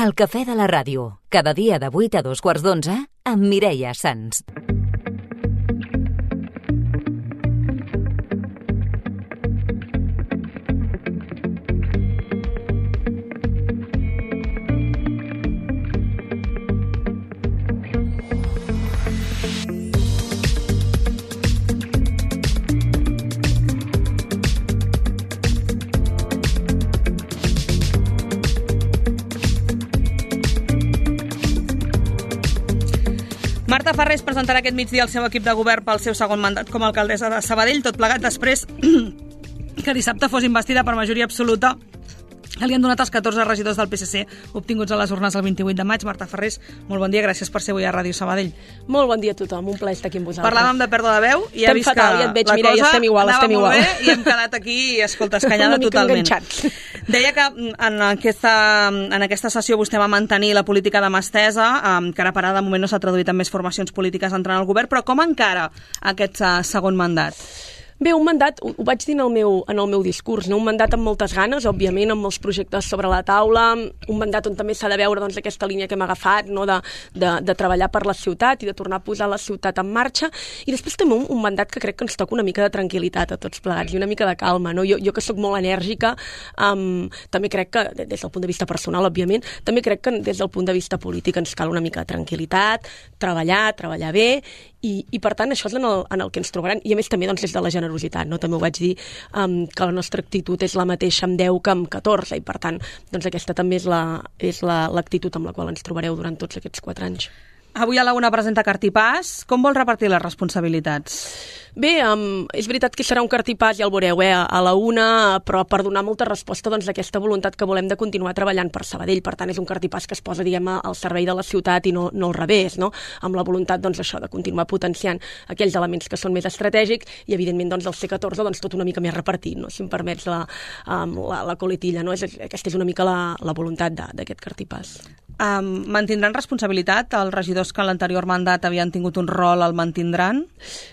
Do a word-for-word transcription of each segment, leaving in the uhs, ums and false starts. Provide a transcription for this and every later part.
El cafè de la ràdio, cada dia de vuit a dos quarts d'onze, amb Mireia Sans. Marta Farrés presentarà aquest migdia el seu equip de govern pel seu segon mandat com a alcaldessa de Sabadell, tot plegat després que dissabte fos investida per majoria absoluta. Li han donat els catorze regidors del P S C obtinguts a les urnes el vint-i-vuit de maig. Marta Farrés, molt bon dia, gràcies per ser avui a Ràdio Sabadell. Molt bon dia a tothom, un plaer estar aquí amb vosaltres. Parlàvem de pèrdua de veu i he vist fatal, que ja et veig, la Mireia, cosa estem igual, anava estem molt igual. bé i hem quedat aquí, escolta, escanyada totalment. Deia que en aquesta, en aquesta sessió vostè va mantenir la política de mà estesa, que ara per ara de moment no s'ha traduït en més formacions polítiques entrant al govern, però com encara aquest segon mandat? Bé, un mandat, ho vaig dir en el meu, en el meu discurs, no? Un mandat amb moltes ganes, òbviament, amb molts projectes sobre la taula, un mandat on també s'ha de veure doncs, aquesta línia que hem agafat, no? de, de, de treballar per la ciutat i de tornar a posar la ciutat en marxa, i després també un, un mandat que crec que ens toca una mica de tranquil·litat a tots plegats i una mica de calma. No? Jo, jo que sóc molt enèrgica, um, també crec que, des del punt de vista personal, òbviament, també crec que des del punt de vista polític ens cal una mica de tranquil·litat, treballar, treballar bé, i, i per tant això és en el, en el que ens trobaran, i a més també doncs, des de la generositat, no? També ho vaig dir, um, que la nostra actitud és la mateixa amb deu que amb catorze, i per tant doncs aquesta també és la, és la, l'actitud amb la qual ens trobareu durant tots aquests quatre anys. Avui a la una presenta Cartipàs. Com vol repartir les responsabilitats? Bé, um, és veritat que serà un cartipàs, ja el veureu, eh, a la una, però per donar molta resposta doncs, a aquesta voluntat que volem de continuar treballant per Sabadell. Per tant, és un cartipàs que es posa, diguem, al servei de la ciutat i no, no al revés, no? Amb la voluntat doncs, això de continuar potenciant aquells elements que són més estratègics i, evidentment, doncs, el C catorze doncs, tot una mica més repartit, no? Si em permets la, um, la, la coletilla. No? És, aquesta és una mica la, la voluntat d'aquest cartipàs. Um, mantindran responsabilitat? Els regidors que en l'anterior mandat havien tingut un rol el mantindran?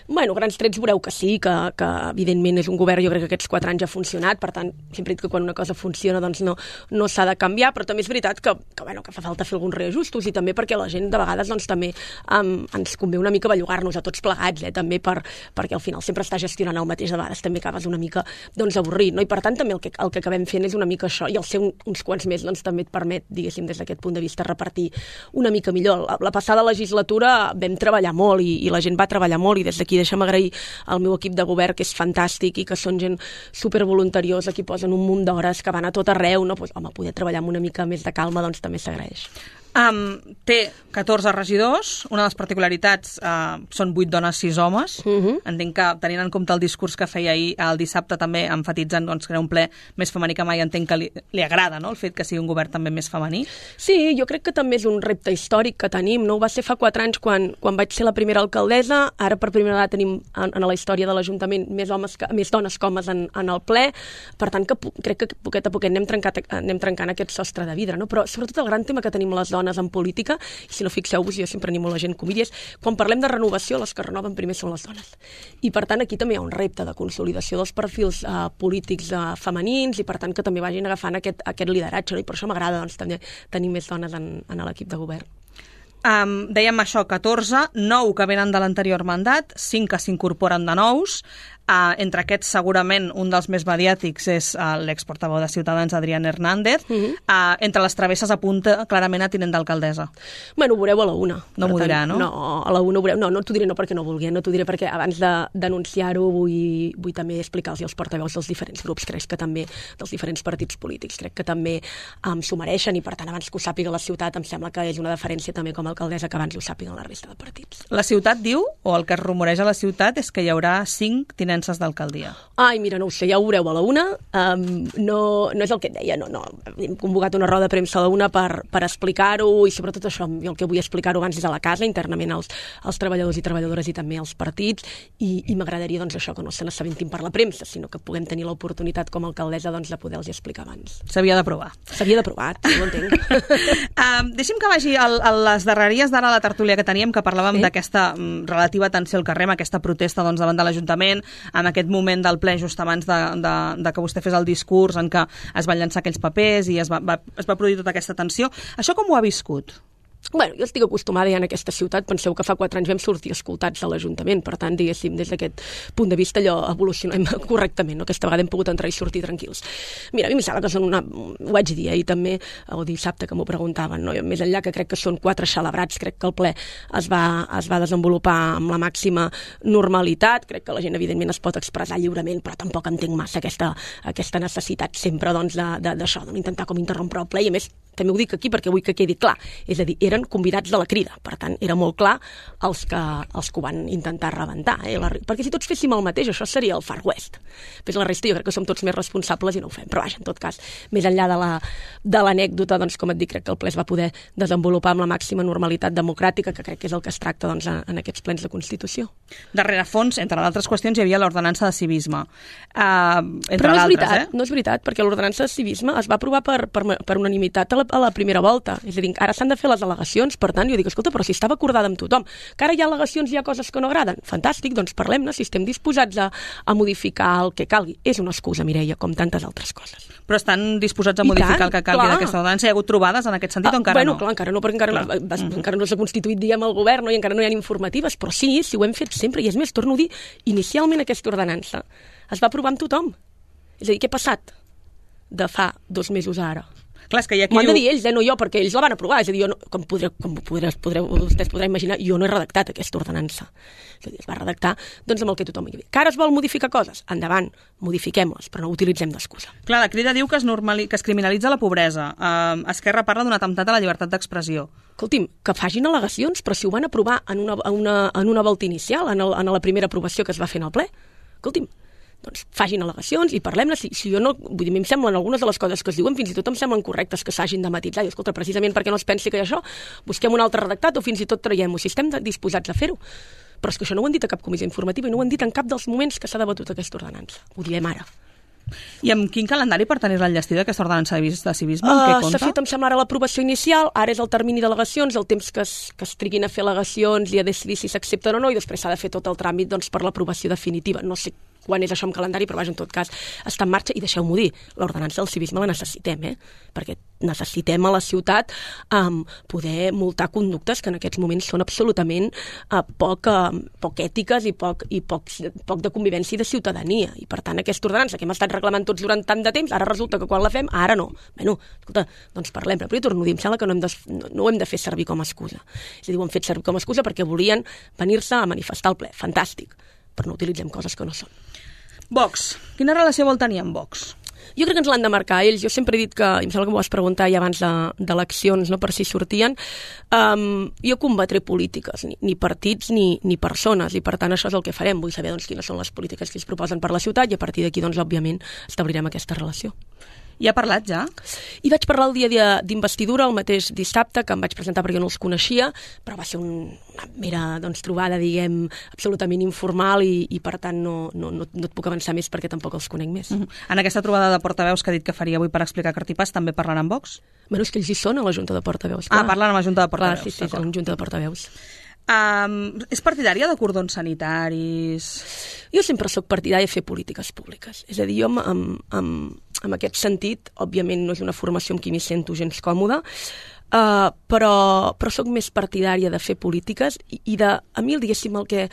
Bueno, grans trets veureu que sí, que, que evidentment és un govern, jo crec que aquests quatre anys ha funcionat, per tant, sempre he dit que quan una cosa funciona doncs no, no s'ha de canviar, però també és veritat que, que, bueno, que fa falta fer alguns reajustos i també perquè la gent de vegades doncs, també um, ens convé una mica bellugar-nos a tots plegats, eh, també per, perquè al final sempre està gestionant el mateix, de vegades també acabes una mica doncs, avorrit, no? I per tant també el que, el que acabem fent és una mica això, i el ser un, uns quants més doncs, també et permet, diguéssim, des d'aquest punt de vista repartir una mica millor. La, la passada legislatura vam treballar molt i, i la gent va treballar molt i des d'aquí deixa'm agrair al meu equip de govern que és fantàstic i que són gent supervoluntariosa, que posen un munt d'hores, que van a tot arreu, no? Pues, home, poder treballar amb una mica més de calma doncs també s'agraeix. Um, té catorze regidors, una de les particularitats uh, són vuit dones, sis homes. Uh-huh. Entenc que, tenint en compte el discurs que feia ahir el dissabte, també enfatitzant doncs, que era un ple més femení que mai, entenc que li, li agrada, no?, el fet que sigui un govern també més femení. Sí, jo crec que també és un repte històric que tenim, no? Ho va ser fa quatre anys quan, quan vaig ser la primera alcaldessa, ara per primera vegada tenim en, en la història de l'Ajuntament més, homes que, més dones que homes en, en el ple, per tant que crec que poquet a poquet anem, trencat, anem trencant aquest sostre de vidre, no? Però sobretot el gran tema que tenim les dones en política, i si no fixeu-vos, jo sempre animo la gent comídies, quan parlem de renovació, les que renoven primer són les dones. I per tant aquí també hi ha un repte de consolidació dels perfils uh, polítics uh, femenins i per tant que també vagin agafant aquest, aquest lideratge, no? I per això m'agrada doncs, també tenir més dones en, en l'equip de govern. Um, dèiem això, catorze, nou que venen de l'anterior mandat, cinc que s'incorporen de nous. Uh, entre aquests, segurament, un dels més mediàtics és uh, l'exportaveu de Ciutadans, Adrián Hernández. Uh-huh. uh, entre les travesses apunta clarament a tinent d'alcaldessa. Bueno, ho veureu a la una. No m'ho dirà, no? No, a la una ho veureu. No, no t'ho diré no perquè no vulgui, no t'ho diré perquè abans de denunciar-ho vull, vull també explicar-los als portaveus dels diferents grups, crec que també dels diferents partits polítics, crec que també um, s'ho mereixen i per tant abans que ho sàpiga la ciutat em sembla que és una deferència també com a alcaldessa que abans ho sàpiguen la resta de partits. La ciutat diu, o el que es rumoreja a la ciutat, és que hi haurà cinc tinents d'alcaldia. Ai, mira, no ho sé, ja ho veureu a la una. Um, no, no és el que et deia, no, no. Hem convocat una roda de premsa a la una per, per explicar-ho i sobretot això, jo el que vull explicar-ho abans és a la casa, internament als, als treballadors i treballadores i també als partits i, i m'agradaria doncs això, que no se n'assabentin per la premsa, sinó que puguem tenir l'oportunitat com a alcaldessa doncs, de poder-los explicar abans. S'havia de provar. S'havia de provar, ho entenc. um, deixi'm que vagi a, a les darreries d'ara la tertúlia que teníem, que parlàvem sí? d'aquesta um, relativa tensió al carrer, aquesta protesta doncs, davant de l'Ajuntament, en aquest moment del ple, just abans de, de, de que vostè fes el discurs en què es van llançar aquells papers i es va, va, es va produir tota aquesta tensió. Això com ho ha viscut? Bueno, jo estic acostumada ja en aquesta ciutat. Penseu que fa quatre anys vam sortir escoltats de l'Ajuntament, per tant, diguéssim, des d'aquest punt de vista allò evolucionem correctament, no? Aquesta vegada hem pogut entrar i sortir tranquils. Mira, a mi em sembla que són una... ho vaig dir ahir també, o dissabte que m'ho preguntaven, no? Més enllà que crec que són quatre celebrats, crec que el ple es va, es va desenvolupar amb la màxima normalitat, crec que la gent evidentment es pot expressar lliurement, però tampoc entenc massa aquesta, aquesta necessitat sempre doncs, d'això, de, d'intentar com interrompre el ple, i a més també ho dic aquí perquè vull que quedi clar, és a dir, eren convidats de la crida, per tant, era molt clar els que, els que ho van intentar rebentar, eh? La, perquè si tots féssim el mateix, això seria el Far West. Però la resta jo crec que som tots més responsables i no ho fem, però vaja, en tot cas, més enllà de la, de l'anècdota, doncs, com et dic, crec que el ple es va poder desenvolupar amb la màxima normalitat democràtica, que crec que és el que es tracta doncs, en aquests plens de Constitució. Darrere fons, entre altres qüestions, hi havia l'ordenança de civisme. Uh, entre però no és veritat, eh? no és veritat, perquè l'ordenança de civisme es va aprovar per, per, per unanimitat a la, a la primera volta. És a dir, ara s'han de fer les al·legacions, per tant, jo dic, escolta, però si estava acordada amb tothom, que ara hi ha al·legacions, hi ha coses que no agraden, fantàstic, doncs parlem-ne, si estem disposats a, a modificar el que calgui. És una excusa, Mireia, com tantes altres coses. Però estan disposats a I modificar tant, el que calgui d'aquesta ordenança? Hi ha hagut trobades en aquest sentit ah, o encara bueno, no? Clar, encara no, perquè encara, clar. no, mm. encara no s'ha constituït, diguem, el govern, no? I encara no hi ha informatives, però sí, sí ho hem fet sempre, i és més, torno a dir, inicialment aquesta ordenança es va aprovar amb tothom. És a dir, què ha passat de fa dos mesos a ara? Clar, és que hi ha qui M'ho han diu... de dir ells, eh, no jo, perquè ells la van aprovar. És a dir, jo no, com, podreu, com podreu, podreu, vostès podran imaginar, jo no he redactat aquesta ordenança. És a dir, es va redactar doncs, amb el que tothom hi havia. Que ara es vol modificar coses? Endavant, modifiquem-les, però no utilitzem d'excusa. Clar, la Crida diu que es, normali... que es criminalitza la pobresa. Uh, Esquerra parla d'un atemptat a la llibertat d'expressió. Escolti'm, que facin al·legacions, però si ho van aprovar en una, en una, en una volta inicial, en, el, en la primera aprovació que es va fer en el ple, escolti'm, doncs facin al·legacions i parlem-ne. Si, si jo no, vull dir, a mi em semblen algunes de les coses que es diuen, fins i tot em semblen correctes que s'hagin de matitzar. I escolta, precisament perquè no es pensi que hi ha això, busquem un altre redactat o fins i tot traiem-ho, si estem disposats a fer-ho. Però és que això no ho han dit a cap comissió informativa i no ho han dit en cap dels moments que s'ha debatut aquesta ordenança. Ho direm ara. I amb quin calendari per tenir-la enllestida, aquesta ordenança de civisme? Uh, S'ha fet, em sembla, ara l'aprovació inicial, ara és el termini d'al·legacions, el temps que es, que es triguin a fer al·legacions i a decidir si s'accepten o no, i després s'ha de fer tot el tràmit doncs, per l'aprovació definitiva. No sé quan és això en calendari, però vaja, en tot cas està en marxa, i deixeu-m'ho dir, l'ordenança del civisme la necessitem, eh? Perquè necessitem a la ciutat um, poder multar conductes que en aquests moments són absolutament uh, poc, uh, poc ètiques i, poc, i poc, poc de convivència i de ciutadania, i per tant aquesta ordenança que hem estat reclamant tots durant tant de temps, ara resulta que quan la fem, ara no. Bueno, escolta, doncs parlem, però jo torno a dir, em sembla que no hem, de, no, no ho hem de fer servir com a excusa. És a dir, ho hem fet servir com a excusa perquè volien venir-se a manifestar el ple, fantàstic, però no utilitzem coses que no són. Vox. Quina relació vol tenir amb Vox? Jo crec que ens l'han de marcar ells. Jo sempre he dit que, em sembla que m'ho vas preguntar ja abans d'eleccions, no, per si sortien, um, jo combatré polítiques, ni, ni partits ni, ni persones, i per tant això és el que farem. Vull saber doncs, quines són les polítiques que es proposen per la ciutat i a partir d'aquí, doncs, òbviament, establirem aquesta relació. I ha parlat ja? I vaig parlar el dia d'investidura, el mateix dissabte, que em vaig presentar perquè no els coneixia, però va ser un, una mera doncs, trobada, diguem, absolutament informal i, i per tant no, no, no, no et puc avançar més perquè tampoc els conec més. Uh-huh. En aquesta trobada de portaveus que ha dit que faria avui per explicar Cartipàs, també parlaran amb Vox? Bueno, és que ells hi són a la Junta de Portaveus. Clar. Ah, parlen a la Junta de Portaveus. Clar, sí, sí, és a la Junta de Portaveus. Um, és partidària de cordons sanitaris? Jo sempre sóc partidària de fer polítiques públiques. És a dir, jo amb, amb, amb aquest sentit, òbviament no és una formació amb qui m'hi sento gens còmoda, uh, però, però sóc més partidària de fer polítiques i, i de, a mi, diguéssim, el que...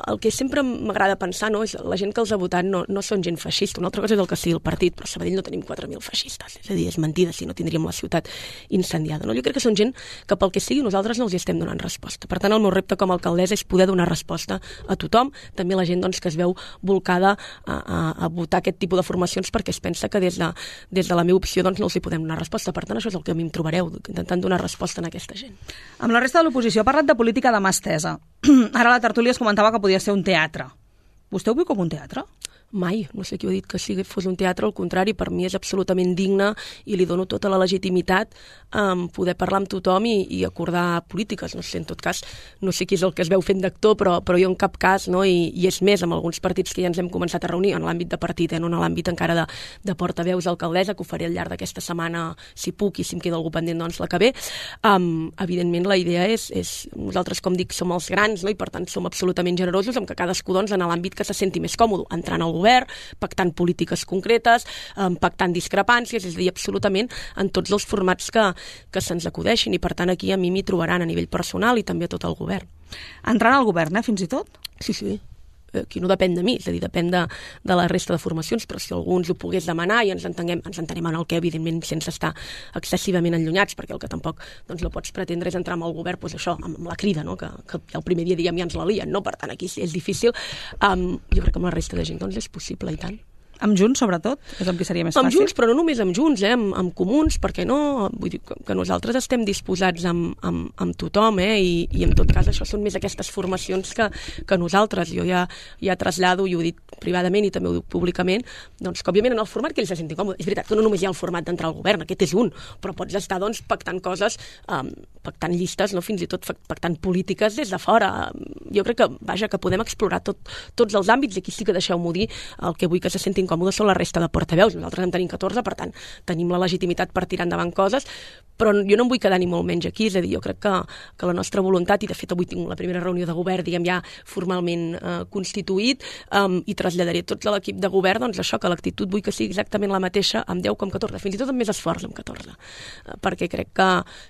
el que sempre m'agrada pensar, no, és la gent que els ha votat no, no són gent feixista. Una altra cosa és el que sigui el partit, però a Sabadell no tenim quatre mil feixistes. És a dir, és mentida si no tindríem la ciutat incendiada. No? Jo crec que són gent que pel que sigui nosaltres no els hi estem donant resposta. Per tant, el meu repte com a alcaldessa és poder donar resposta a tothom, també la gent doncs, que es veu volcada a, a, a votar aquest tipus de formacions perquè es pensa que des de, des de la meva opció doncs, no els hi podem donar resposta. Per tant, això és el que a mi em trobareu, intentant donar resposta a aquesta gent. Amb la resta de l'oposició ha parlat de política de mà estesa. Ara la tertúlia es comentava que podia ser un teatre. Vostè ho viu com un teatre? Mai, no sé qui ho ha dit que sigui, fos un teatre, al contrari, per mi és absolutament digne i li dono tota la legitimitat a um, poder parlar amb tothom i, i acordar polítiques. No sé, en tot cas, no sé qui és el que es veu fent d'actor, però, però jo en cap cas, no? I, i és més, amb alguns partits que ja ens hem començat a reunir, en l'àmbit de partit, eh? No en l'àmbit encara de, de portaveus d'alcaldessa, que ho faré al llarg d'aquesta setmana, si puc, i si em queda algú pendent, doncs la que ve. Um, evidentment, la idea és, és, nosaltres, com dic, som els grans, no? I per tant som absolutament generosos amb que cadascú, doncs, en l'àmbit que se senti més còmode, entrant al govern, pactant polítiques concretes, um, pactant discrepàncies, és a dir, absolutament en tots els formats que, que se'ns acudeixin, i per tant aquí a mi m'hi trobaran a nivell personal i també a tot el govern. Entrant al govern, eh, fins i tot? Sí, sí. Aquí no depèn de mi, és a dir, depèn de, de la resta de formacions, però si algú ens ho pogués demanar i ens entenguem, ens entenem en el que, evidentment, sense estar excessivament enllunyats, perquè el que tampoc doncs, no pots pretendre és entrar amb el govern, doncs això, amb, amb la crida, no? que, que el primer dia, diguem, ja ens la lien, no? Per tant, aquí és difícil. Um, jo crec que amb la resta de gent doncs, és possible, i tant. Amb Junts, sobretot? És amb qui seria més fàcil? Amb Junts, però no només amb Junts, eh? amb, amb Comuns, perquè no? Vull dir que nosaltres estem disposats amb, amb, amb tothom, eh? I, i en tot cas això són més aquestes formacions que, que nosaltres. Jo ja, ja trasllado, i ho dic privadament i també ho dic públicament, doncs que òbviament en el format que ells se sentin còmodes. És veritat que no només hi ha el format d'entrar al govern, aquest és un, però pots estar doncs, pactant coses, um, pactant llistes, no? Fins i tot pactant polítiques des de fora. Jo crec que, vaja, que podem explorar tot, tots els àmbits, i aquí sí que deixeu-m'ho dir, el que vull que se sentin còmodes són la resta de portaveus. Nosaltres en tenim catorze, per tant, tenim la legitimitat per tirar endavant coses, però jo no em vull quedar ni molt menys aquí, és a dir, jo crec que, que la nostra voluntat, i de fet avui tinc la primera reunió de govern, diguem ja formalment eh, constituït, um, i traslladaré tots a l'equip de govern, doncs això, que l'actitud vull que sigui exactament la mateixa amb deu com amb catorze, fins i tot amb més esforç amb catorze, uh, perquè crec que,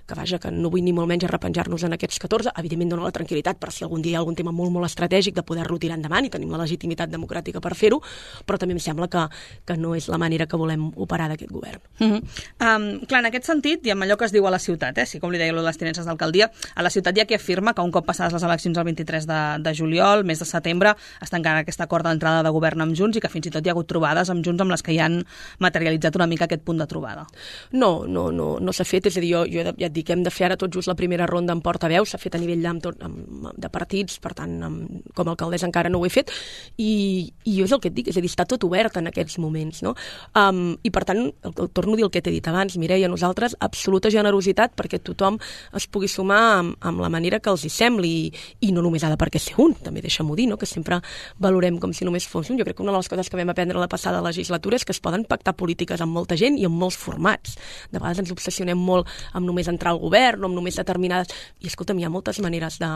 que vaja, que no vull ni molt menys arrepenjar-nos en aquests catorze, evidentment dona la tranquil·litat per si algun dia hi ha algun tema molt, molt estratègic de poder-lo tirar endavant, i tenim la legitimitat democràtica per fer-ho, però també em sembla que, que no és la manera que volem operar d'aquest govern. Uh-huh. um, clar, en aquest sentit, i amb allò que es diu a la ciutat, eh, si com li deia les tinences d'alcaldia, a la ciutat hi ha qui afirma que un cop passades les eleccions el vint-i-tres de, de juliol, mes de setembre, està encara aquest acord d'entrada de govern amb Junts, i que fins i tot hi ha hagut trobades amb Junts amb les que hi han materialitzat una mica aquest punt de trobada. No, no, no, no s'ha fet, és a dir, jo, jo ja et dic, hem de fer ara tot just la primera ronda en portaveus, s'ha fet a nivell amb tot, amb, de partits, per tant, amb, com a alcaldessa encara no ho he fet, i, i jo és el que et dic, és a dir, està tot obert en aquests moments, no? Um, I per tant, el, el, torno a dir el que t'he dit abans, Mireia, nosaltres absoluta generositat perquè tothom es pugui sumar amb, amb la manera que els hi sembli, i, i no només ha de perquè ser un, també deixa'm-ho dir, no? Que sempre valorem com si només fos un. Jo crec que una de les coses que vam aprendre la passada legislatura és que es poden pactar polítiques amb molta gent i amb molts formats. De vegades ens obsessionem molt amb només entrar al govern o amb només determinades... I escolta'm, hi ha moltes maneres de,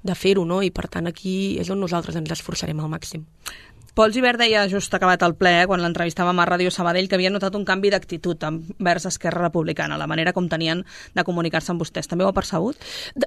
de fer-ho, no? I per tant aquí és on nosaltres ens esforçarem al màxim. Pol Gibert deia just acabat el ple, eh, quan l'entrevistàvem a Ràdio Sabadell, que havia notat un canvi d'actitud envers Esquerra Republicana, la manera com tenien de comunicar-se amb vostès. També ho ha percebut?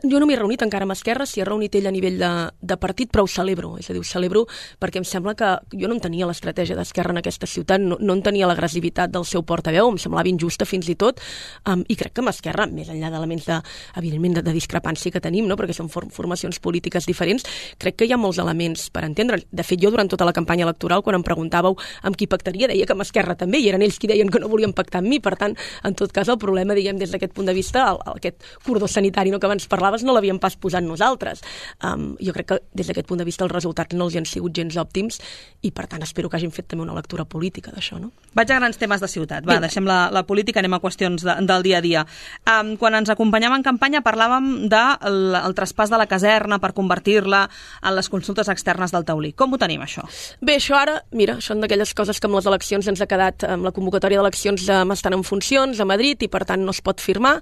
Jo no m'he reunit encara amb Esquerra, s'hi ha reunit ell a nivell de, de partit, però ho celebro. És a dir, ho celebro perquè em sembla que jo no entenia l'estratègia d'Esquerra en aquesta ciutat, no, no entenia l'agressivitat del seu portaveu, em semblava injusta fins i tot, um, i crec que amb Esquerra, més enllà d'elements de, evidentment, de, de discrepància que tenim, no? Perquè són for formacions polítiques diferents, crec que hi ha molts elements per entendre. De fet, jo durant tota la campanya electoral, quan em preguntàveu amb qui pactaria, deia que amb Esquerra també, i eren ells qui deien que no volien pactar amb mi. Per tant, en tot cas, el problema, diguem, des d'aquest punt de vista, el, el, aquest cordó sanitari no, que abans parlaves, no l'havíem pas posat nosaltres. Um, jo crec que des d'aquest punt de vista els resultats no els han sigut gens òptims, i per tant espero que hagin fet també una lectura política d'això, no? Vaig a grans temes de ciutat. Va, deixem la, la política, anem a qüestions de, del dia a dia. Um, quan ens acompanyàvem en campanya parlàvem del de el traspàs de la caserna per convertir-la en les consultes externes del Taulí. Com ho tenim, això? Bé, això ara, mira, són d'aquelles coses que amb les eleccions ens ha quedat, amb la convocatòria d'eleccions eh, estan en funcions a Madrid i per tant no es pot firmar.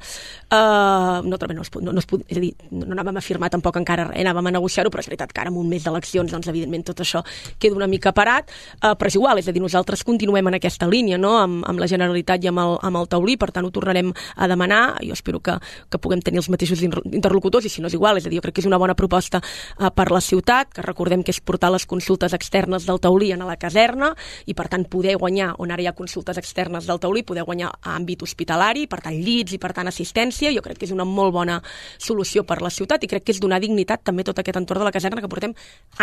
Uh, no, no, es pot, no, no es pot, és a dir, no anàvem a firmar tampoc encara res, anàvem a negociar-ho, però és veritat que ara amb un mes d'eleccions, doncs evidentment tot això queda una mica parat, uh, però és igual, és a dir, nosaltres continuem en aquesta línia, no?, amb, amb la Generalitat i amb el, amb el Taulí, per tant ho tornarem a demanar, jo espero que, que puguem tenir els mateixos interlocutors, i si no és igual, és a dir, jo crec que és una bona proposta uh, per la ciutat, que recordem que és portar les consultes externes del Taulí a la caserna, i per tant poder guanyar, on ara hi ha consultes externes del Taulí, poder guanyar a àmbit hospitalari, per tant llits i per tant assistència, jo crec que és una molt bona solució per la ciutat, i crec que és donar dignitat també tot aquest entorn de la caserna que portem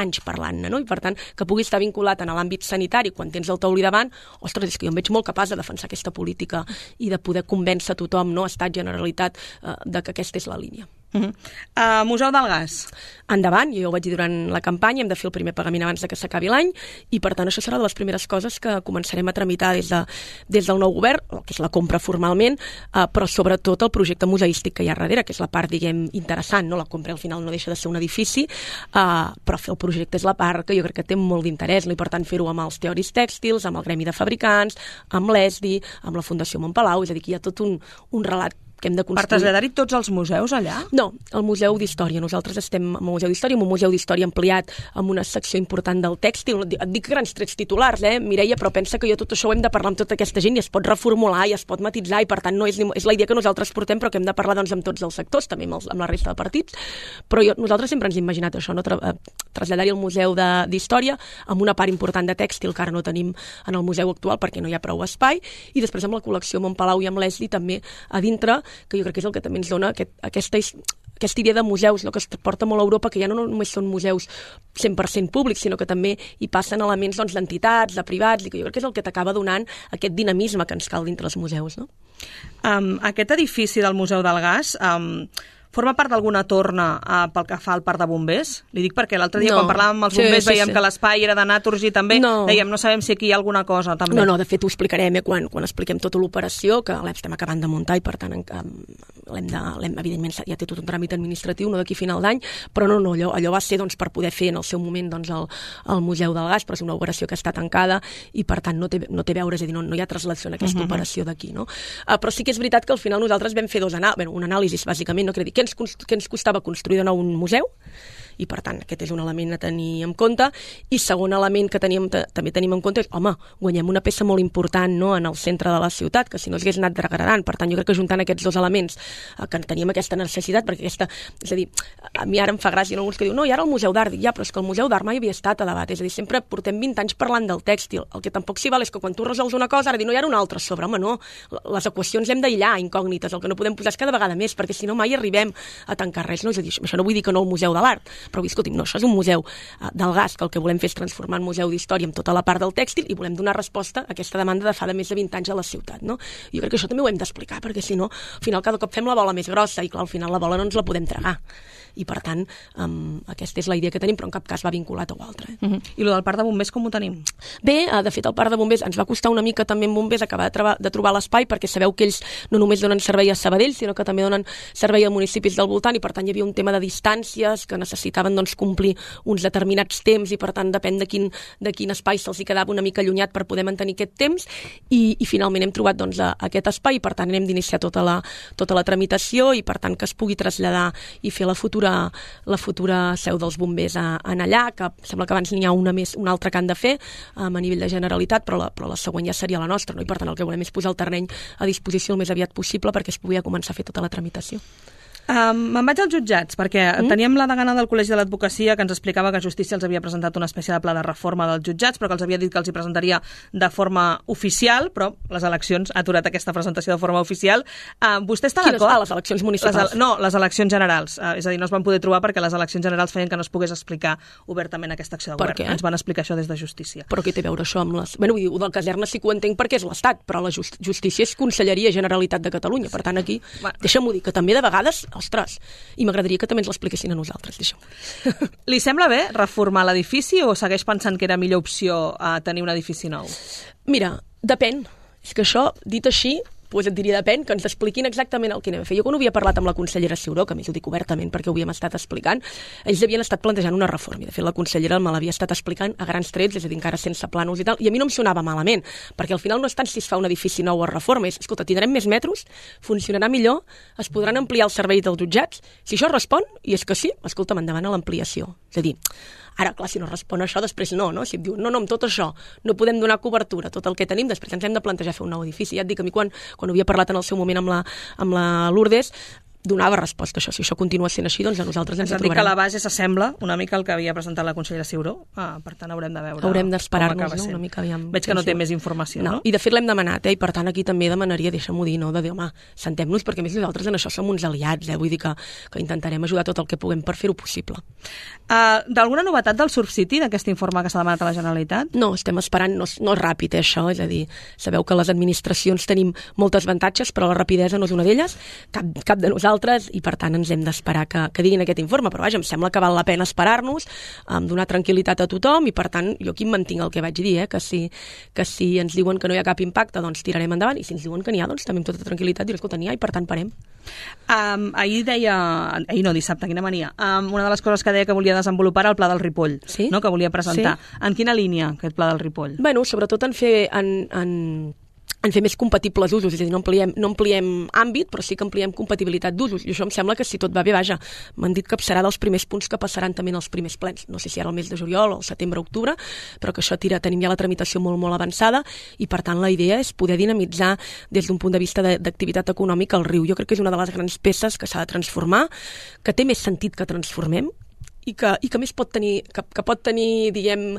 anys parlant-ne, no? I per tant que pugui estar vinculat en l'àmbit sanitari quan tens el Taulí davant, ostres, és que jo em veig molt capaç de defensar aquesta política i de poder convèncer tothom, no, Estat, Generalitat, eh, de que aquesta és la línia. Uh-huh. Uh, Museu del Gas. Endavant, jo ho vaig dir durant la campanya, hem de fer el primer pagament abans de que s'acabi l'any i per tant això serà de les primeres coses que començarem a tramitar des, de, des del nou govern, que és la compra formalment, uh, però sobretot el projecte museístic que hi ha darrere, que és la part, diguem, interessant, no? La compra al final no deixa de ser un edifici, uh, però fer el projecte és la part que jo crec que té molt d'interès, no? I per tant fer-ho amb els teòrics tèxtils, amb el Gremi de Fabricants, amb l'E S D I, amb la Fundació Montpalau, és a dir, que hi ha tot un, un relat que hem de construir. Per traslladar-hi tots els museus allà? No, el Museu d'Història. Nosaltres estem en el Museu d'Història, amb un Museu d'Història ampliat amb una secció important del tèxtil. Et dic grans trets titulars, eh, Mireia, però pensa que jo tot això ho hem de parlar amb tota aquesta gent i es pot reformular i es pot matitzar i per tant no és, és la idea que nosaltres portem però que hem de parlar doncs, amb tots els sectors, també amb, els, amb la resta de partits. Però jo, nosaltres sempre ens hem imaginat això, no? Tra traslladar-hi al Museu d'Història amb una part important de tèxtil que ara no tenim en el museu actual perquè no hi ha prou espai i després amb la col·lecció Montpalau i amb l'E S D I també a dintre, que jo crec que és el que també ens dona aquest, aquesta, aquesta idea de museus, no? Que es porta molt a Europa, que ja no només són museus cent per cent públics, sinó que també hi passen elements doncs, d'entitats, de privats, i que jo crec que és el que t'acaba donant aquest dinamisme que ens cal dintre els museus. No? Um, aquest edifici del Museu del Gas... Um... forma part d'alguna torna uh, pel que fa al parc de bombers? Li dic perquè l'altre dia no. quan parlàvem amb els bombers sí, sí, veiem sí. que l'espai era de Naturgy també, no. dèiem no sabem si aquí hi ha alguna cosa també. No, no, de fet ho explicarem eh, quan, quan expliquem tota l'operació, que l'estem acabant de muntar i per tant l'hem de, evidentment ja té tot un tràmit administratiu, no d'aquí a final d'any, però no, no, allò, allò va ser doncs, per poder fer en el seu moment doncs, el, el Museu del Gas, però és una operació que està tancada i per tant no té, no té a veure, és a dir, no, no hi ha traslació en aquesta uh -huh. operació d'aquí. No? Uh, però sí que és veritat que al final nosaltres vam fer dos anàlisis, bueno, un anàlisi bàsicament, no? Que dir, què ens, què ens costava construir de nou un museu i per tant aquest és un element a tenir en compte i segon element que teníem, també tenim en compte és, home, guanyem una peça molt important no, en el centre de la ciutat, que si no s'hagués anat degradant, per tant jo crec que juntant aquests dos elements eh, que teníem aquesta necessitat, perquè aquesta, és a dir, a mi ara em fa gràcia no, alguns que diuen, no, i ara el Museu d'Art, ja, però és que el Museu d'Art mai havia estat a debat, és a dir, sempre portem vint anys parlant del tèxtil, el que tampoc s'hi val és que quan tu resols una cosa, ara dir, no, hi ha una altra sobre, home, no, les equacions hem d'aïllar incògnites, el que no podem posar és cada vegada més, perquè si no mai arribem a tancar res, no? És a dir, això no vull dir que no el Museu de l'Art, però escolti'm, no, això és un museu uh, del gas que el que volem fer és transformar en museu d'història amb tota la part del tèxtil i volem donar resposta a aquesta demanda de fa de més de vint anys a la ciutat. No? Jo crec que això també ho hem d'explicar perquè si no, al final cada cop fem la bola més grossa i clar, al final la bola no ens la podem tragar. I per tant, um, aquesta és la idea que tenim, però en cap cas va vinculat a l'altre. Eh? Uh -huh. I el del parc de bombers com ho tenim? Bé, uh, de fet el parc de bombers ens va costar una mica també en bombers acabar de, trobar, de trobar l'espai perquè sabeu que ells no només donen servei a Sabadell, sinó que també donen servei a municipis del voltant i per tant hi havia un tema de distàncies que necessitaven doncs, complir uns determinats temps i per tant depèn de quin, de quin espai se'ls hi quedava una mica allunyat per poder mantenir aquest temps i, i finalment hem trobat doncs, a, a aquest espai i per tant hem d'iniciar tota la, tota la tramitació i per tant que es pugui traslladar i fer la futura la futura seu dels bombers a, a allà, que sembla que abans n'hi ha una més, una altra que han de fer um, a nivell de Generalitat, però la, però la següent ja seria la nostra, no? I per tant el que volem és posar el terreny a disposició el més aviat possible perquè es pugui començar a fer tota la tramitació. Um, me'n vaig als jutjats, perquè mm? teníem la degana del Col·legi de l'Advocacia que ens explicava que Justícia els havia presentat una espècie de pla de reforma dels jutjats, però que els havia dit que els hi presentaria de forma oficial, però les eleccions ha aturat aquesta presentació de forma oficial. Uh, vostè està d'acord? Ah, les eleccions municipals. Les, no, les eleccions generals. Uh, és a dir, no es van poder trobar perquè les eleccions generals feien que no es pogués explicar obertament aquesta acció de govern. Per què? Ens van explicar això des de Justícia. Però què té a veure això amb les... Bueno, vull dir, del caserna sí que ho entenc perquè és l'Estat, però la just... Justícia és Conselleria Generalitat de Catalunya. Per tant, aquí, bueno. deixa'm-ho dir, que també de vegades, ostres, i m'agradaria que també ens l'expliquessin a nosaltres, deixa'm. Li sembla bé reformar l'edifici o segueix pensant que era millor opció a tenir un edifici nou? Mira, depèn. És que això, dit així, doncs et diria depèn, que ens expliquin exactament el que anem a fer. Jo quan ho havia parlat amb la consellera Ciuró, que a més ho dic obertament perquè ho havíem estat explicant, ells havien estat plantejant una reforma i de fet la consellera me l'havia estat explicant a grans trets, és a dir, encara sense plànols i tal, i a mi no em sonava malament, perquè al final no és tant si es fa un edifici nou o reforma, és, escolta, tindrem més metres, funcionarà millor, es podran ampliar els serveis dels jutjats, si això respon, i és que sí, escolta'm, endavant a l'ampliació. És a dir, ara, clar, si no respon això, després no, no? Si et diu, no, no, amb tot això no podem donar cobertura, tot el que tenim, després ens hem de plantejar fer un nou edifici. Ja et dic, a mi quan, quan havia parlat en el seu moment amb la, amb la Lourdes, donava resposta a això. Si això continua sent així, doncs a nosaltres ens hi trobarem. És a dir, que la base s'assembla una mica al que havia presentat la consellera Ciuró. Ah, per tant, haurem de veure Haurem d'esperar-nos, no? Una mica aviam. Veig que no té més informació, no? no? I de fet l'hem demanat, eh? I per tant aquí també demanaria, deixa'm-ho dir, no? De dir, home, sentem-nos, perquè a més nosaltres en això som uns aliats, eh? Vull dir que, que intentarem ajudar tot el que puguem per fer-ho possible. Uh, D'alguna novetat del Surf City, d'aquest informe que s'ha demanat a la Generalitat? No, estem esperant, no, no és ràpid, eh, això, és a dir, sabeu que les administracions tenim moltes avantatges, però la rapidesa no és una d'elles, cap, cap de nosaltres nosaltres i per tant ens hem d'esperar que, que diguin aquest informe, però vaja, em sembla que val la pena esperar-nos, um, donar tranquil·litat a tothom i per tant jo aquí em mantinc el que vaig dir, eh? que, si, que si ens diuen que no hi ha cap impacte doncs tirarem endavant i si ens diuen que n'hi ha doncs també amb tota tranquil·litat diré, escolta, n'hi ha i per tant parem. Um, ahir deia, ahir no, dissabte, quina mania, um, una de les coses que deia que volia desenvolupar era el pla del Ripoll, sí? no? que volia presentar. Sí. En quina línia aquest pla del Ripoll? Bueno, sobretot en fer... En, en... en fer més compatibles usos, és a dir, no ampliem, no ampliem àmbit, però sí que ampliem compatibilitat d'usos, i això em sembla que si tot va bé, vaja, m'han dit que serà dels primers punts que passaran també en els primers plens, no sé si ara el mes de juliol o el setembre-octubre, però que això tira, tenim ja la tramitació molt, molt avançada, i per tant la idea és poder dinamitzar des d'un punt de vista d'activitat econòmica el riu. Jo crec que és una de les grans peces que s'ha de transformar, que té més sentit que transformem, i que, i que més pot tenir, que, que pot tenir, diguem,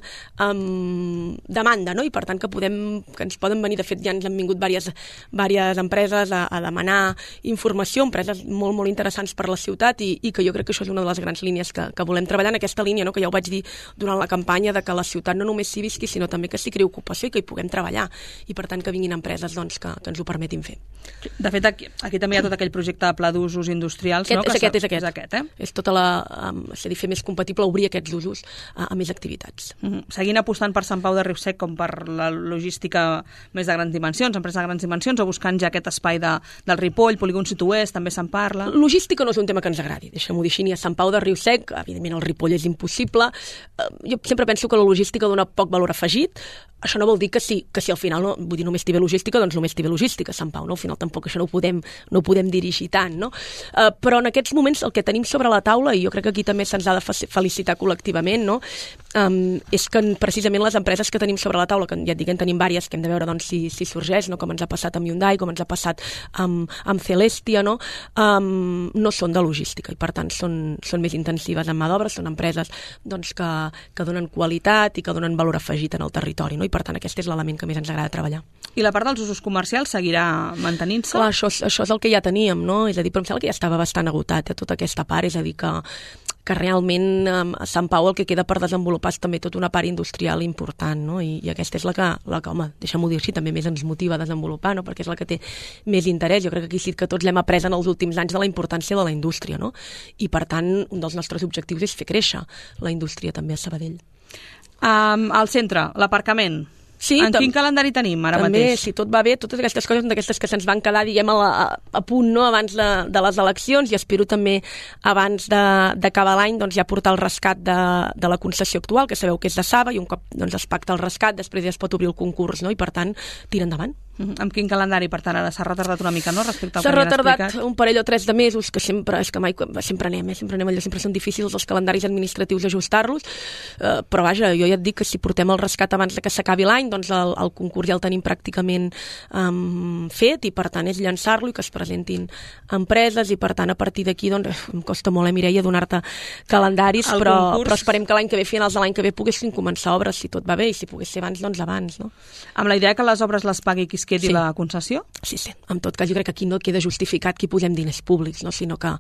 um, demanda, no? I per tant que podem, que ens poden venir, de fet ja ens han vingut diverses, diverses empreses a, a demanar informació, empreses molt, molt interessants per la ciutat i, i que jo crec que això és una de les grans línies que, que volem treballar en aquesta línia, no? Que ja ho vaig dir durant la campanya, de que la ciutat no només s'hi visqui, sinó també que s'hi creï ocupació i que hi puguem treballar, i per tant que vinguin empreses doncs, que, que ens ho permetin fer. De fet, aquí, aquí també hi ha tot aquell projecte de pla d'usos industrials, aquest, no? És aquest, és aquest. És aquest, eh? És tota la... Um, és a dir, fer més compatible obrir aquests usos a, a més activitats. Mm-hmm. Seguint apostant per Sant Pau de Riusec com per la logística més de grans dimensions, empresa de grans dimensions, o buscant ja aquest espai de, del Ripoll, polígon sud-oest, també se'n parla. Logística no és un tema que ens agradi, deixem-ho dir així, ni a Sant Pau de Riusec, evidentment el Ripoll és impossible. Jo sempre penso que la logística dona poc valor afegit. Això no vol dir que sí, que si al final no, vull dir, només té bé logística, doncs només té bé logística, Sant Pau, no? Al final tampoc això no ho podem, no ho podem dirigir tant, no? Uh, però en aquests moments el que tenim sobre la taula, i jo crec que aquí també se'ns ha de felicitar col·lectivament, no? Um, és que precisament les empreses que tenim sobre la taula, que ja et dic, en tenim diverses, que hem de veure doncs, si, si sorgeix, no? Com ens ha passat amb Hyundai, com ens ha passat amb, amb Celestia, no? Um, no són de logística i per tant són, són més intensives en mà d'obra, són empreses doncs, que, que donen qualitat i que donen valor afegit en el territori, no? I per tant aquest és l'element que més ens agrada treballar. I la part dels usos comercials seguirà mantenint-se? Clar, això, això és el que ja teníem, no? És a dir, però em sembla que ja estava bastant agotat, eh, tota aquesta part, és a dir, que, que realment eh, a Sant Pau el que queda per desenvolupar és també tota una part industrial important, no? I, i aquesta és la que, la que home, deixa'm-ho dir així, també més ens motiva a desenvolupar, no? Perquè és la que té més interès. Jo crec que aquí sí que tots l'hem après en els últims anys de la importància de la indústria, no? I per tant, un dels nostres objectius és fer créixer la indústria també a Sabadell. Um, al centre, l'aparcament. Sí, en quin calendari tenim ara també, mateix? Si tot va bé, totes aquestes coses són d'aquestes que se'ns van quedar, diguem, a, la, a punt, no?, abans de, de les eleccions, i espero també abans d'acabar l'any doncs, ja portar el rescat de, de la concessió actual, que sabeu que és de Saba, i un cop doncs, es pacta el rescat, després ja es pot obrir el concurs, no?, i per tant, tira endavant. Uh-huh. Amb quin calendari, per tant, ara s'ha retardat una mica, no?, respecte al que S'ha retardat explicat. Un parell o tres de mesos, que sempre, és que mai, sempre anem, eh? sempre anem allò, sempre són difícils els calendaris administratius ajustar-los, eh, però vaja, jo ja et dic que si portem el rescat abans de que s'acabi l'any, doncs el, el concurs ja el tenim pràcticament um, fet, i per tant és llançar-lo i que es presentin empreses, i per tant a partir d'aquí, doncs, em costa molt, eh, Mireia, donar-te calendaris, però, però esperem que l'any que ve, finals de l'any que ve, poguessin començar obres, si tot va bé, i si pogués ser abans, doncs abans, no? Amb la idea que les obres les pagui qui es quedi sí. la concessió? Sí, sí. En tot cas, jo crec que aquí no queda justificat que hi posem diners públics, no? Sinó que,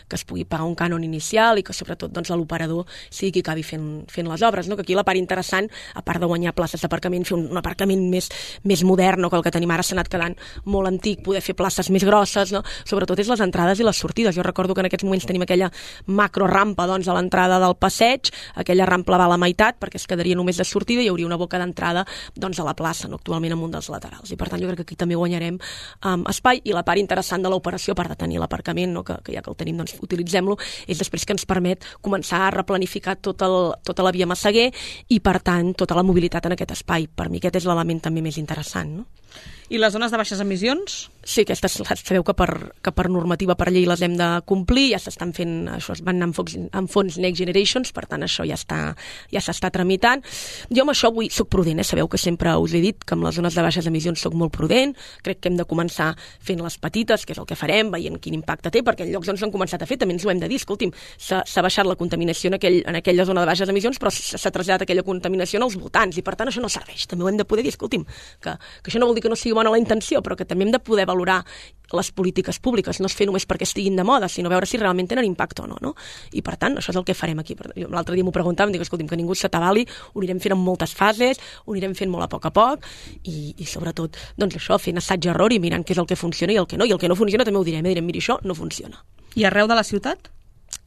que es pugui pagar un cànon inicial i que, sobretot, doncs, l'operador sigui qui acabi fent, fent les obres, no? Que aquí la part interessant, a part de guanyar places d'aparcament, fer un, un aparcament més, més modern, no? Que el que tenim ara s'ha anat quedant molt antic, poder fer places més grosses, no? Sobretot és les entrades i les sortides. Jo recordo que en aquests moments tenim aquella macrorampa, doncs, a l'entrada del passeig, aquella rampa va a la meitat perquè es quedaria només de sortida i hi hauria una boca d'entrada, doncs, a la plaça, no? Actualment en un dels laterals. I per tant jo crec que aquí també guanyarem um, espai, i la part interessant de l'operació, a part de tenir l'aparcament, no? que, que ja que el tenim, doncs utilitzem-lo, és després que ens permet començar a replanificar tot el, tota la via Massaguer i per tant tota la mobilitat en aquest espai. Per mi aquest és l'element també més interessant, no? I les zones de baixes emissions? Sí, aquestes sabeu que per, que per normativa, per llei les hem de complir, ja s'estan fent, això es van anar en fons, en fons Next Generations, per tant això ja està, ja s'està tramitant. Jo amb això avui soc prudent, eh? Sabeu que sempre us he dit que amb les zones de baixes emissions soc molt prudent, crec que hem de començar fent les petites, que és el que farem, veient quin impacte té, perquè en llocs on s'han començat a fer també ens ho hem de dir, escolti'm, s'ha baixat la contaminació en, aquell, en aquella zona de baixes emissions, però s'ha traslladat aquella contaminació als voltants, i per tant això no serveix, també ho hem de poder dir, escolti'm, que, que això no vol dir que no sigui bona la intenció, però que també hem de poder valorar les polítiques públiques, no es fer només perquè estiguin de moda, sinó veure si realment tenen impacte o no, no? I per tant, això és el que farem aquí. L'altre dia m'ho preguntàvem, dic, escolti'm, que ningú s'atabali, ho anirem fent en moltes fases, ho anirem fent molt a poc a poc, i, i sobretot, doncs això, fent assaig-error i mirant què és el que funciona i el que no, i el que no funciona també ho direm, eh? Direm, mira, això no funciona. I arreu de la ciutat?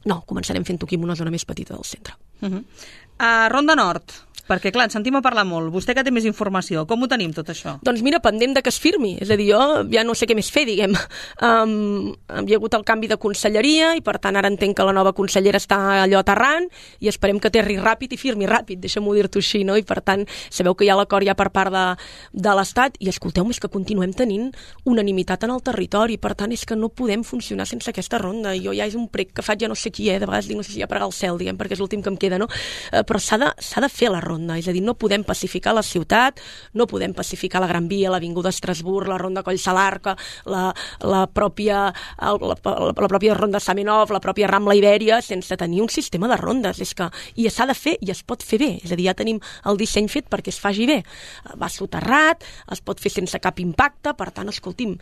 No, començarem fent-ho aquí en una zona més petita del centre. Uh-huh. uh, Ronda Nord, perquè clar, ens sentim a parlar molt. Vostè que té més informació, com ho tenim tot això? Doncs mira, pendent de que es firmi. És a dir, jo ja no sé què més fer, diguem. Um, hi ha hagut el canvi de conselleria i per tant ara entenc que la nova consellera està allò aterrant i esperem que aterri ràpid i firmi ràpid, deixa'm-ho dir-t'ho així, no? I per tant, sabeu que hi ha l'acord ja per part de, de l'Estat i escolteu, és que continuem tenint unanimitat en el territori, per tant és que no podem funcionar sense aquesta ronda. Jo ja és un prec que faig ja no sé qui, eh? De vegades dic no sé si ja pregar al cel, diguem, perquè és l'últim que em queda, no? Uh, però s'ha de, s'ha de fer la ronda. És a dir, no podem pacificar la ciutat, no podem pacificar la Gran Via, l'Avinguda Estrasburg, la ronda Collsalarca, la, la, pròpia, la, la, la pròpia ronda Zamenhof, la pròpia Rambla Ibèria, sense tenir un sistema de rondes. És que, i s'ha de fer i es pot fer bé. És a dir, ja tenim el disseny fet perquè es faci bé. Va soterrat, es pot fer sense cap impacte, per tant, escolti'm,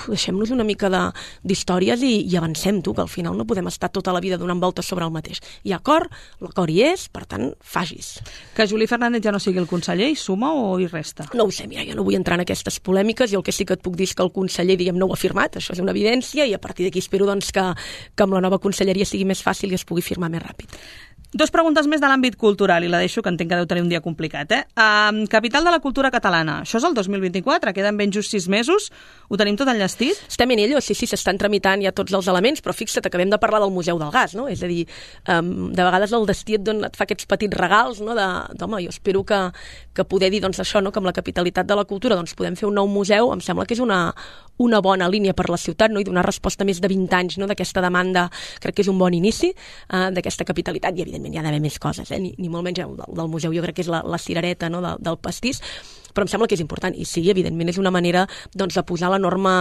deixem-nos una mica d'històries i, i avancem, tu, que al final no podem estar tota la vida donant voltes sobre el mateix. Hi ha acord, l'acord hi és, per tant, facis. Que Juli Fernández ja no sigui el conseller, hi suma o hi resta? No ho sé, mira, jo no vull entrar en aquestes polèmiques i el que sí que et puc dir és que el conseller, diguem, no ho ha firmat, això és una evidència, i a partir d'aquí espero doncs, que, que amb la nova conselleria sigui més fàcil i es pugui firmar més ràpid. Dos preguntes més de l'àmbit cultural, i la deixo, que entenc que deu tenir un dia complicat. Eh? Uh, capital de la cultura catalana. Això és el dos mil vint-i-quatre, queden ben just sis mesos. Ho tenim tot enllestit? Estem en ello, sí, sí, s'estan tramitant ja tots els elements, però fixa't, acabem de parlar del Museu del Gas, no? És a dir, um, de vegades el destí et, dona, et fa aquests petits regals, no? De, d'home, jo espero que, que poder dir doncs, això, no? Que amb la capitalitat de la cultura doncs, podem fer un nou museu, em sembla que és una, una bona línia per la ciutat, no? I donar resposta a més de vint anys, no? D'aquesta demanda, crec que és un bon inici uh, d'aquesta capitalitat, i evidentment hi ha d'haver més coses, eh? ni, ni molt menys del, del museu, jo crec que és la, la cirereta, no? del, del pastís, però em sembla que és important, i sí, evidentment és una manera doncs, de posar l'enorme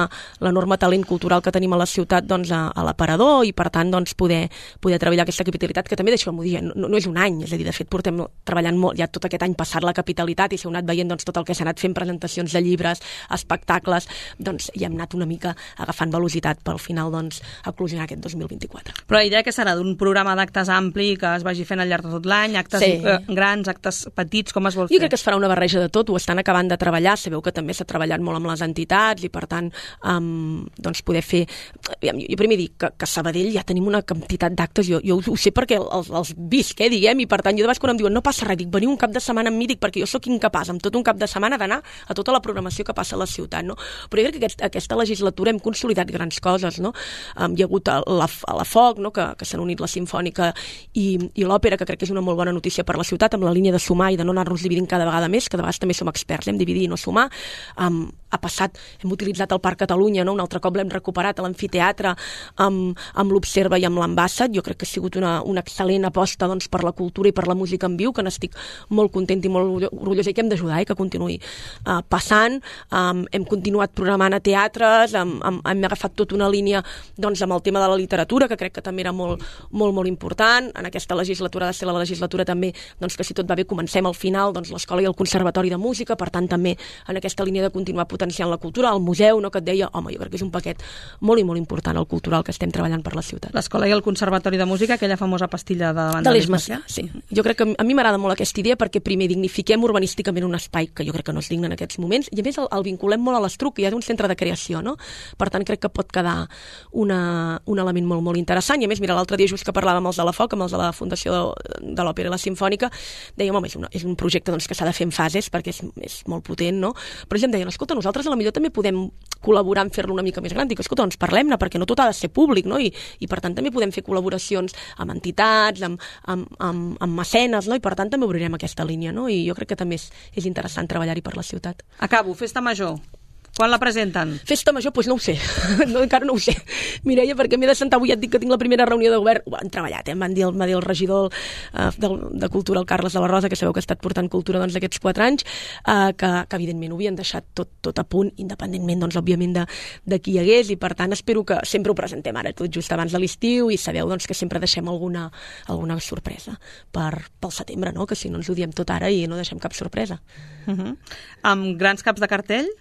l'enorme talent cultural que tenim a la ciutat doncs, a, a l'aparador, i per tant doncs, poder, poder treballar aquesta capitalitat, que també, deixeu-m'ho dir, no, no és un any, és a dir, de fet portem treballant molt, ja tot aquest any passat la capitalitat, i s'ha anat veient doncs, tot el que s'ha anat fent, presentacions de llibres, espectacles, doncs ja hem anat una mica agafant velocitat per al final doncs, eclosionar aquest dos mil vint-i-quatre. Però la idea que serà d'un programa d'actes ampli que es vagi fent al llarg de tot l'any, actes sí. eh, grans, actes petits, com es vol fer? Jo crec que es farà una barreja de tot, ho estan acabant de treballar, sabeu que també s'ha treballat molt amb les entitats i per tant um, doncs poder fer, jo primer dic que, que a Sabadell ja tenim una quantitat d'actes, jo, jo ho sé perquè els, els visc, eh, diguem, i per tant jo de vegades quan em diuen no passa res, dic veniu un cap de setmana amb mi, dic perquè jo sóc incapaç amb tot un cap de setmana d'anar a tota la programació que passa a la ciutat, no? Però jo crec que aquest, aquesta legislatura hem consolidat grans coses, no? Um, hi ha hagut la, la Foc, no? que, que s'han unit la Simfònica i, i l'Òpera, que crec que és una molt bona notícia per la ciutat, amb la línia de sumar i de no anar-nos dividint cada vegada més, que de vegades també som experts, hem dividit i no sumar. Um, ha passat, hem utilitzat el Parc Catalunya, no? Un altre cop l'hem recuperat a l'amfiteatre amb, amb l'Observa i amb l'Ambassat. Jo crec que ha sigut una, una excel·lent aposta doncs, per la cultura i per la música en viu, que n'estic molt content i molt orgullosa, i que hem d'ajudar eh, que continuï uh, passant. Um, hem continuat programant a teatres, um, um, hem agafat tota una línia doncs, amb el tema de la literatura, que crec que també era molt, molt, molt important. En aquesta legislatura ha de ser la legislatura també doncs, que si tot va bé comencem al final doncs, l'Escola i el Conservatori de Música, per tant també en aquesta línia de continuar potenciant la cultura, el museu, no, que et deia, home, jo crec que és un paquet molt i molt important el cultural que estem treballant per la ciutat. L'Escola i el Conservatori de Música, aquella famosa pastilla de davant de l'Eix Macià, sí. Jo crec que a mi m'agrada molt aquesta idea perquè primer dignifiquem urbanísticament un espai que jo crec que no és digne en aquests moments, i a més el, el vinculem molt a l'Estruc, que ja és un centre de creació, no? Per tant, crec que pot quedar una, un element molt, molt interessant, i a més, mira, l'altre dia just que parlàvem amb els de la Foc, amb els de la Fundació de, de l'Òpera i la Simfònica, dèiem, home, és, una, és un projecte doncs, que s'ha de fer en fases perquè és, és molt potent, no? Però ells em deien, escolta, nosaltres a la millor també podem col·laborar en fer-lo una mica més gran. Dic, escolta, doncs parlem-ne, perquè no tot ha de ser públic, no? I, i per tant també podem fer col·laboracions amb entitats, amb, amb, amb, amb mecenes, no? I per tant també obrirem aquesta línia, no? I jo crec que també és, és interessant treballar-hi per la ciutat. Acabo, Festa Major. Quan la presenten? Festa Major, doncs no ho sé, no, encara no ho sé, Mireia, perquè m'he de sentar avui, ja et dic que tinc la primera reunió de govern, ho han treballat, eh? em van dir, el, va dir el regidor uh, de, de Cultura, el Carles de la Rosa, que sabeu que ha estat portant cultura doncs, aquests quatre anys, uh, que, que evidentment ho havien deixat tot, tot a punt, independentment, doncs, òbviament, de, de qui hi hagués, i per tant espero que sempre ho presentem ara, tot just abans de l'estiu, i sabeu doncs, que sempre deixem alguna, alguna sorpresa per, pel setembre, no? Que si no ens ho diem tot ara i no deixem cap sorpresa. Uh-huh. Amb grans caps de cartell?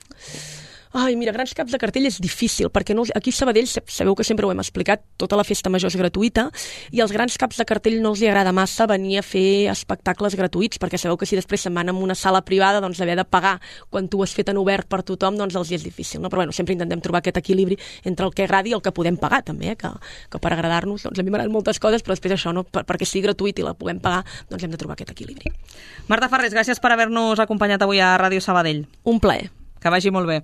Ai, mira, grans caps de cartell és difícil, perquè no, aquí a Sabadell sabeu que sempre ho hem explicat, tota la festa major és gratuïta, i als grans caps de cartell no els hi agrada massa venir a fer espectacles gratuïts, perquè sabeu que si després se'n van a una sala privada, doncs haver de pagar quan tu ho has fet en obert per tothom, doncs els hi és difícil, no? Però bueno, sempre intentem trobar aquest equilibri entre el que agradi i el que podem pagar, també, eh? que, que per agradar-nos, doncs a mi m'agraden moltes coses, però després això, no? per, perquè sigui gratuït i la puguem pagar, doncs hem de trobar aquest equilibri. Marta Farrés, gràcies per haver-nos acompanyat avui a Ràdio Sabadell. Un plaer. Que vagi molt bé.